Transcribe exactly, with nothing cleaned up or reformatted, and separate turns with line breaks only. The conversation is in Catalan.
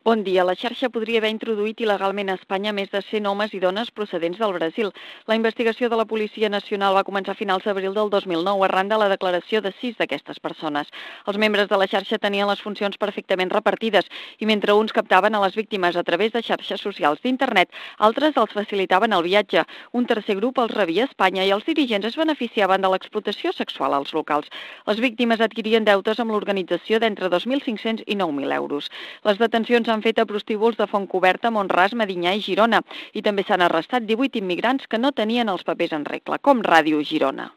Bon dia. La xarxa podria haver introduït il·legalment a Espanya més de cent homes i dones procedents del Brasil. La investigació de la Policia Nacional va començar a finals d'abril del dos mil nou arran de la declaració de sis d'aquestes persones. Els membres de la xarxa tenien les funcions perfectament repartides i mentre uns captaven a les víctimes a través de xarxes socials d'internet, altres els facilitaven el viatge. Un tercer grup els rebia a Espanya i els dirigents es beneficiaven de l'explotació sexual als locals. Les víctimes adquirien deutes amb l'organització d'entre dos mil cinc-cents i nou mil euros. Les detencions han fet a prostíbuls de Fontcoberta, Mont-ras, Medinyà i Girona i també s'han arrestat divuit immigrants que no tenien els papers en regla, com Ràdio Girona.